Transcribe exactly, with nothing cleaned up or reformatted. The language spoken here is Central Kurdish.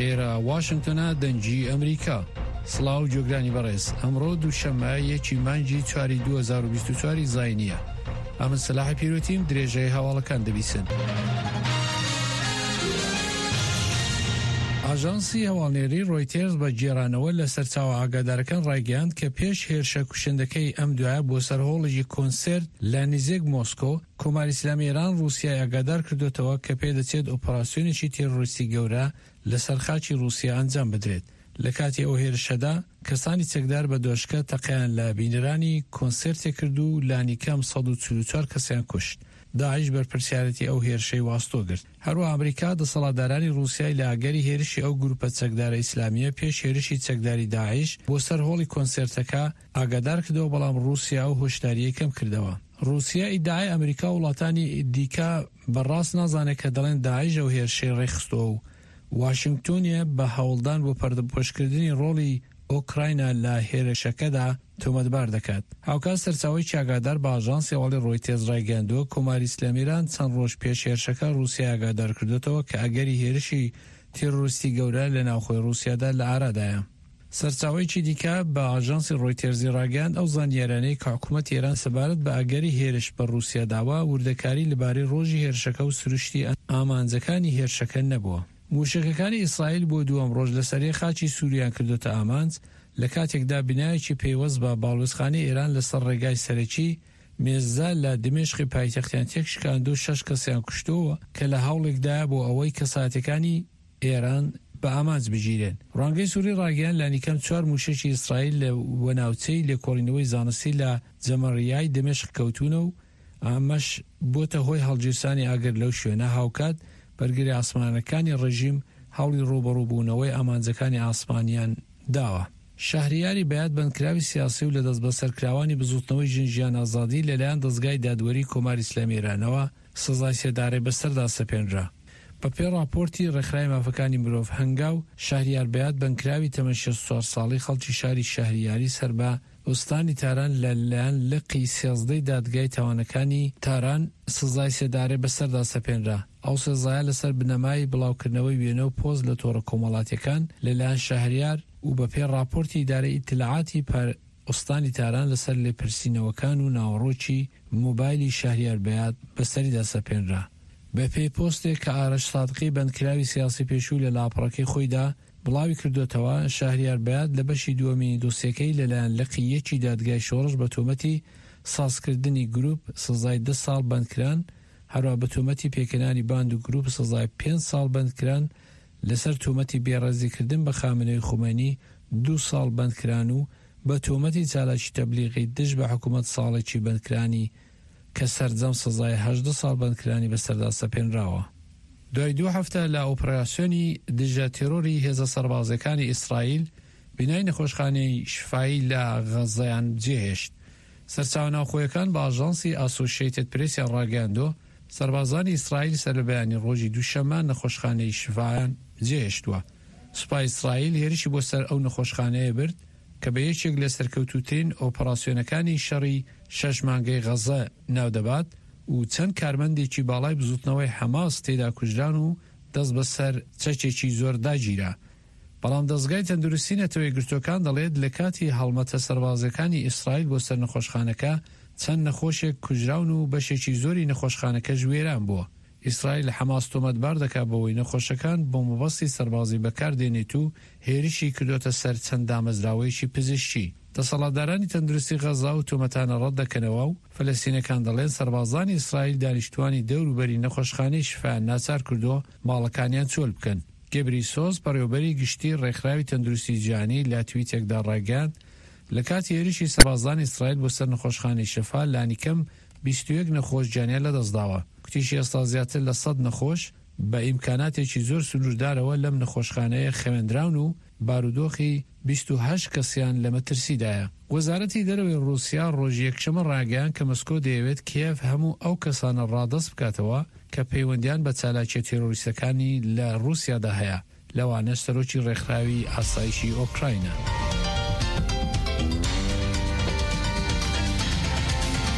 ئێرە واشنگتۆنە، دەنگی ئەمریکا. سڵاو گوێگرانی بەڕێز، ئەمڕۆ دووشەممە یەکی مانگی چواری دوو هەزار و بیست و چوار زاینییە. ئەمن سەلاحی پیرۆتیم، درێژەی هەواڵەکان دەبیسن. ئاژانسی هەواڵنێری ڕۆیتێرز بە گێڕانەوە لە سەرچاوە ئاگادارەکان ڕایگەیاند کە پێش هێرشە کوشندەکەی ئەم دوایە بۆ سەر هۆڵێکی کۆنسێرت لە نزیک مۆسکۆ، کۆماری ئیسلامی ئێران ڕووسیای ئاگادار کردوێتەوە کە پێدەچێت ئۆپەراسیۆنێکی تێرۆریستی گەورە لەسەر خاکی ڕووسیا ئەنجام بدرێت. لە کاتی ئەو هێرشەدا کەسانی چەکدار بە دۆشکە تەقیان لە بینەرانی کۆنسێرتێک کرد و لانیکەم سەد و چل و چوار کەسیان کوشت. داعش بەرپرسیارەتی ئەو هێرشەی واستۆ گرت. هەروەها ئەمریکا دەسەڵاتدارانی ڕووسیای لە ئەگەری هێرشی ئەو گروپە چەکدارە ئیسلامیە پێش هێرشی چەکداری داعش بۆ سەر هۆڵی کۆنسێرتەکە ئاگادار کردەوە، بەڵام ڕووسیا ئەو هۆشداریەی کەم کردەوە. ڕووسیا ئیدعای ئەمریکا و وڵاتانی دیکە بەڕاست نازانێت کە دەڵێن داعش ئەو هێرشەی ڕێکخستەوە و واشنگتۆنیە بە هەوڵدان بۆ پەردەپۆشکردنی ڕۆڵی ئۆکراینا لە هێرشەکەدا تۆمەتبار دەکات. هاوکات سەرچاوەی ئاگادار بە ئاژانسی هەواڵی ڕۆیتێرز ڕایگەیاندووە کۆماری ئیسلامی ئێران چەند ڕۆژ پێش هێرشەکە ڕووسیا ئاگادار کردوێتەوە کە ئەگەری هێرشی تێرۆریستی گەورە لە ناوخۆی ڕووسیادا لە ئارادایە. سەرچاوەیەکی دیکە بە ئاژانسی ڕۆیتێرزی ڕاگەیاند ئەو زانیاریانەی کە حکوومەتی ئێران سەبارەت بە ئەگەری هێرش بە ڕووسیا داوە وردەکاری لەبارەی ڕۆژی هێرشەکە و سروشتی ئامانجەکانی هێرشەکە نەبووە. موشەکەکانی ئیسرائیل بۆ دووەم ڕۆژ لەسەر خاکی سووریان کردوتە ئامانج، لە کاتێکدا بینایەکی پەیوەست بە باڵوێزخانەی ئێران لەسەر ڕێگای سەرەکی مێزدا لە دیمەشقی پایتەختیان تێکشکاند و شەش کەسیان کوشتووە کە لە هەوڵێکدایە بۆ ئەوەی کەساتەکانی ئێران بە ئامانج بگیرێن. ڕوانگەی سووری ڕاگەیان لانیکەم چوار موشەکی ئیسرائیل لە وەناوچەی لێکۆڵینەوەی زانستی لە جەمەڕیای دیمەشق کەوتونە و ئەمەش بۆتە هۆی هەڵگیرسانی ئاگر لەو شوێنە. هاوکات بەرگری ئاسمانەکانی ڕژیم هەوڵی ڕووبەڕووبوونەوەی ئامانجەکانی ئاسمانیان داوە. شەهریاری بەیات بەندکراوی سیاسی و لە دەستبەسەرکراوانی بزوتنەوەی ژن ژیان ئازادی لەلایەن دەزگای دادوەری کۆماری ئیسلامی ئێرانەوە سزای سێدارەی بەسەردا سەپێنرا. بە پێی ڕاپۆرتی ڕێکخراوی مافەکانی مرۆڤ هەنگاو، شەهریار بەیات بەندکراوی تەمەن شەست و چوار ساڵی خەڵکی شاری شەهریاری سەر بە ئوستانی تاران لەلایەن لقی سێزدەی دادگای تاوانەکانی تاران سزای سێدارەی بەسەردا سەپێنرا. ئەو سزایە لەسەر بنەمای بڵاوکردنەوەی وێنە و پۆست لە تۆڕە کۆمەڵاتیەکان لەلایەن شەهریار و بە پێی ڕاپۆرتی ئیدارەی ئیتلاعاتی ئوستانی تاران لەسەر لێپرسینەوەکان و ناوەڕۆکی مۆبایلی شەهریار بەیات بەسەریدا سەپێنرا. بە پێی پۆستێک کە ئارەش سادقی بەندکراوی سیاسی پێشوو لە لاپەڕەکەی خۆیدا بڵاوی کردوێتەوە، شەهریار بەیات لە بەشی دووەمی دۆسیەکەی لەلایەن لقی یەکی دادگای شۆڕش بە تۆمەتی سازکردنی گروپ سزای ده ساڵ بەندکران، هەروە بە تۆمەتی پێکهێنانی باند و گروپ سزای پێنج ساڵ بەندکران، لەسەر تۆمەتی بێڕێزیکردن بە خامنەی خومەینی دوو ساڵ بەندکران و بە تۆمەتی چالاکی تەبلیغی دژ بە حکوومەت ساڵێکی بەندکرانی کە سەرجەم سزای هەژدە ساڵ بەندکرانی بەسەردا سەپێنراوە. دوای دوو هەفتە لە ئۆپەراسیۆنی دژە تێرۆری هێزە سەربازیەکانی ئیسرائیل بینای نەخۆشخانەی شفایی لە غەززەیان جێهێشت. سەرچاوە ناوخۆیەکان بە ئاژانسی ئاسۆشیەتد پرێسیان ڕاگەیاندووە سەربازانی ئیسرائیل سەر لە بەیانی ڕۆژی دووشەممە نەخۆشخانەی شفایان جێهێشتووە. سوپای ئیسرائیل هێرشی بۆ سەر ئەو نەخۆشخانەیە برد کە بە یەکێک لە سەرکەوتووترین ئۆپەراسیۆنەکانی شەڕی شەش مانگەی غەززە ناودەبات و چەند کارمەندێکی باڵای بزوتنەوەی حەماس تێدا کوژران و دەست بەسەر چەکێکی زۆر داگیرا. بەڵام دەزگای تەندروستی نەتەوە یەکگرتووەکان دەڵێت لە کاتی هەڵمەتە سەربازیەکانی ئیسرائیل بۆ سەر نەخۆشخانەکە چەند نەخۆشێک کوژراون و بەشێکی زۆری نەخۆشخانەکەش وێران بووە. ئیسرائیل حەماس تۆمەتبار دەکات بەوەی نەخۆشەکان بۆ مەبەستی سەربازی بەکاردێنێت و هێرشی کردوتە سەر چەند دامەزراوەیەکی پزیشکی. دەسەڵاتدارانی تەندروستی غەززە و تۆمەتانە ڕەت دەکەنەوە و فەلەستینەکان دەڵێن سەربازانی ئیسرائیل دانیشتوانی دەوروبەری نەخۆشخانەی شفایان ناچار کردووە ماڵەکانیان چۆل بکەن. گەبریسۆس بەڕێوەبەری گشتی ڕێکخراوی تەندروستی جیهانی لە تویتێکدا ڕایگەیاند لە کاتی هێرشی سەربازانی ئیسرائیل بۆ سەر نەخۆشخانەی شفا لانیکەم بیست و یەک نەخۆش گیانیان لەدەستداوە. کوتیشی ئێستا زیاتر لە سەد نەخۆش بە ئیمکاناتێکی زۆر سنووردارەوە لەم نەخۆشخانەیە خەوێندراون و بارودۆخی بیست و هەشت کەسیان لە مەترسیدایە. وەزارەتی دەرەوەی ڕووسیا ڕۆژی یەکشەممە ڕاگەیاند کە مسکۆ دەیەوێت کیێڤ هەموو ئەو کەسانە ڕادەست بکاتەوە کە پەیوەندیان بە چالاکیە تێرۆریستەکانی لە ڕووسیادا هەیە، لەوانەش سەرۆکی ڕێکخراوی ئاسایشی ئۆکراینا.